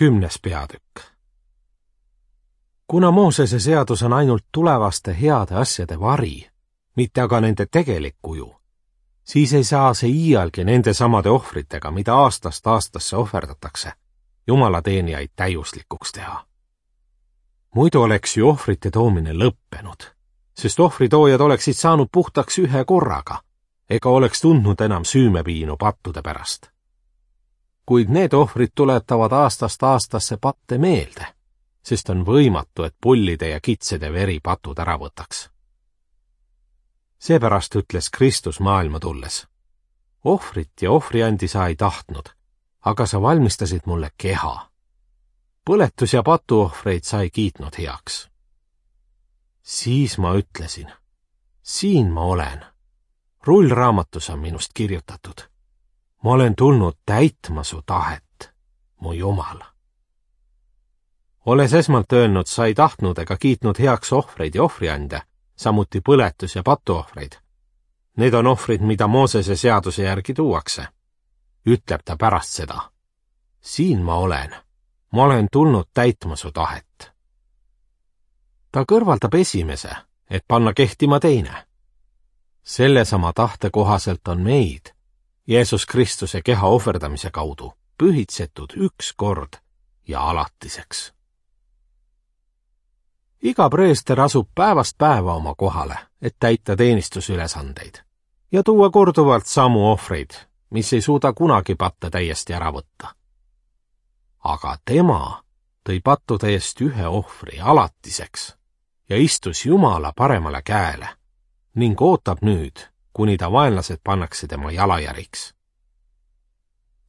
10. peatükk. Kuna Moosese seadus on ainult tulevaste heade asjade vari, mitte aga nende tegelik kuju, siis ei saa see iialgi nende samade ohvritega, mida aastast aastasse ohverdatakse, Jumala teenijaid täiuslikuks teha. Muidu oleks ju ohvrite toomine lõppenud, sest ohvritoojad oleksid saanud puhtaks ühe korraga, ega oleks tundnud enam süümepiinu pattude pärast. Kuid need ohvrid tuletavad aastast aastasse patte meelde, sest on võimatu, et pullide ja kitsede veri patud ära võtaks. Seepärast ütles Kristus maailma tulles: ohvrit ja ohvriandi sa ei tahtnud, aga sa valmistasid mulle keha. Põletus- ja patuohvreid sa ei kiitnud heaks. Siis ma ütlesin: siin ma olen. Rullraamatus on minust kirjutatud: ma olen tulnud täitma su tahet, mu Jumal. Olles esmalt öelnud, sa ei tahtnud ega kiitnud heaks ohvreid ja ohvriande, samuti põletus- ja patuohvreid. Need on ohvrid, mida Moosese seaduse järgi tuuakse. Ütleb ta pärast seda: siin ma olen tulnud täitma su tahet. Ta kõrvaldab esimese, et panna kehtima teine. Sellesama tahte kohaselt on meid, Jeesus Kristuse keha ohverdamise kaudu, pühitsetud üks kord ja alatiseks. Iga preester asub päevast päeva oma kohale, et täita teenistusülesandeid ja tuua korduvalt samu ohvreid, mis ei suuda kunagi patte täiesti ära võtta. Aga tema tõi pattude eest ühe ohvri alatiseks ja istus Jumala paremale käele ning ootab nüüd, kuni ta vaenlased pannakse tema jalajäriks.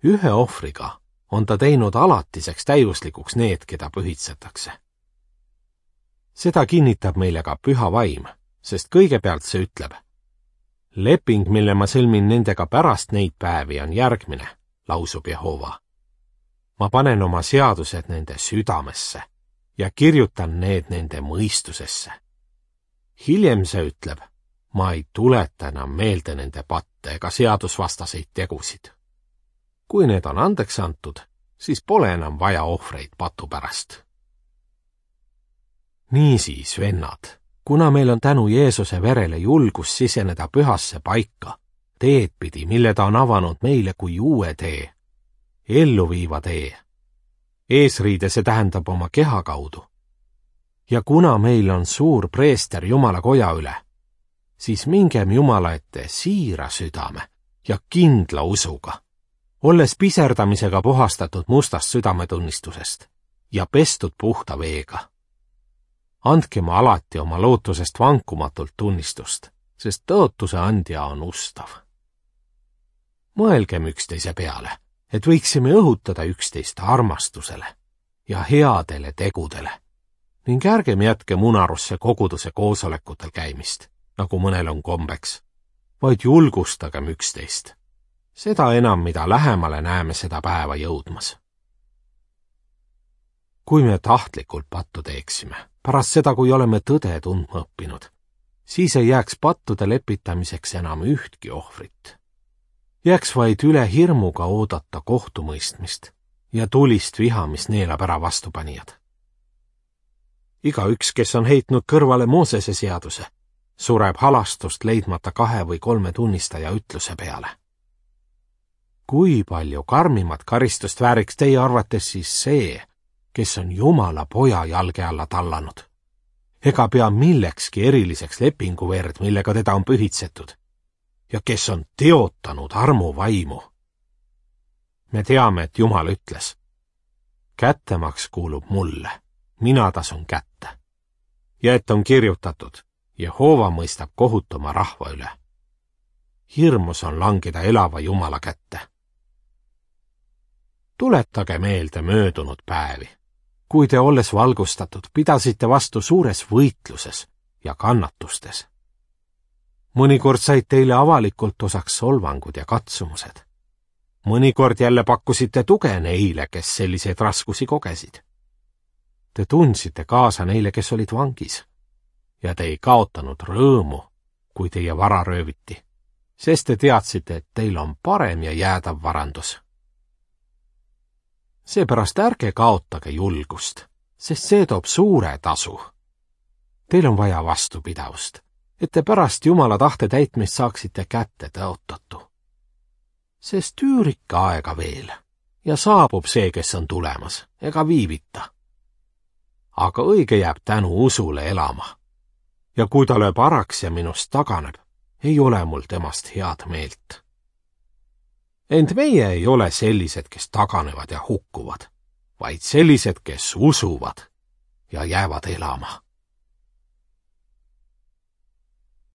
Ühe ohvriga on ta teinud alatiseks täiuslikuks need, keda pühitsetakse. Seda kinnitab meile ka Püha Vaim, sest kõigepealt see ütleb: leping, mille ma sõlmin nendega pärast neid päevi, on järgmine, lausub Jehova. Ma panen oma seadused nende südamesse ja kirjutan need nende mõistusesse. Hiljem see ütleb: ma ei tuleta enam meelde nende patte ega seadusvastaseid tegusid. Kui need on andeks antud, siis pole enam vaja ohvreid patu pärast. Niisiis, vennad, kuna meil on tänu Jeesuse verele julgus siseneda pühasse paika, teed pidi, mille ta on avanud meile kui uue tee, elluviiva tee. Eesriide see tähendab oma keha kaudu. Ja kuna meil on suur preester Jumala koja üle, siis mingem Jumala ette siira südame ja kindla usuga, olles piserdamisega puhastatud mustast südametunnistusest ja pestud puhta veega. Andke ma alati oma lootusest vankumatult tunnistust, sest tõotuse andja on ustav. Mõelgem üksteise peale, et võiksime õhutada üksteist armastusele ja headele tegudele ning ärgem jätkem unarusse koguduse koosolekutel käimist, nagu mõnel on kombeks, vaid julgustagem üksteist. Seda enam, mida lähemale näeme seda päeva jõudmas. Kui me tahtlikult pattu teeksime, pärast seda, kui oleme tõde tundma õppinud, siis ei jääks pattude lepitamiseks enam ühtki ohvrit. Jääks vaid üle hirmuga oodata kohtumõistmist ja tulist viha, mis neelab ära vastupanijad. Igaüks, kes on heitnud kõrvale Moosese seaduse, sureb halastust leidmata 2 või 3 tunnistaja ütluse peale. Kui palju karmimat karistust vääriks teie arvates siis see, kes on Jumala poja jalge alla tallanud? Ega pea millekski eriliseks lepinguverd, millega teda on pühitsetud, ja kes on teotanud armuvaimu. Me teame, et Jumal ütles: kättemaks kuulub mulle, mina tasun kätte. Ja et on kirjutatud: Jehova mõistab kohut oma rahva üle. Hirmus on langeda elava Jumala kätte. Tuletage meelde möödunud päevi, kui te, olles valgustatud, pidasite vastu suures võitluses ja kannatustes. Mõnikord said teile avalikult osaks solvangud ja katsumused. Mõnikord jälle pakkusite tuge neile, kes selliseid raskusi kogesid. Te tundsite kaasa neile, kes olid vangis, ja te ei kaotanud rõõmu, kui teie vara rööviti, sest te teadsite, et teil on parem ja jäädav varandus. Seepärast ärge kaotage julgust, sest see toob suure tasu. Teil on vaja vastupidavust, et te pärast Jumala tahte täitmist saaksite kätte tõotatu. Sest üürike aega veel ja saabub see, kes on tulemas, ega viivita. Aga õige jääb tänu usule elama. Ja kui ta lööb araks ja minust taganeb, ei ole mul temast head meelt. Ent meie ei ole sellised, kes taganevad ja hukkuvad, vaid sellised, kes usuvad ja jäävad elama.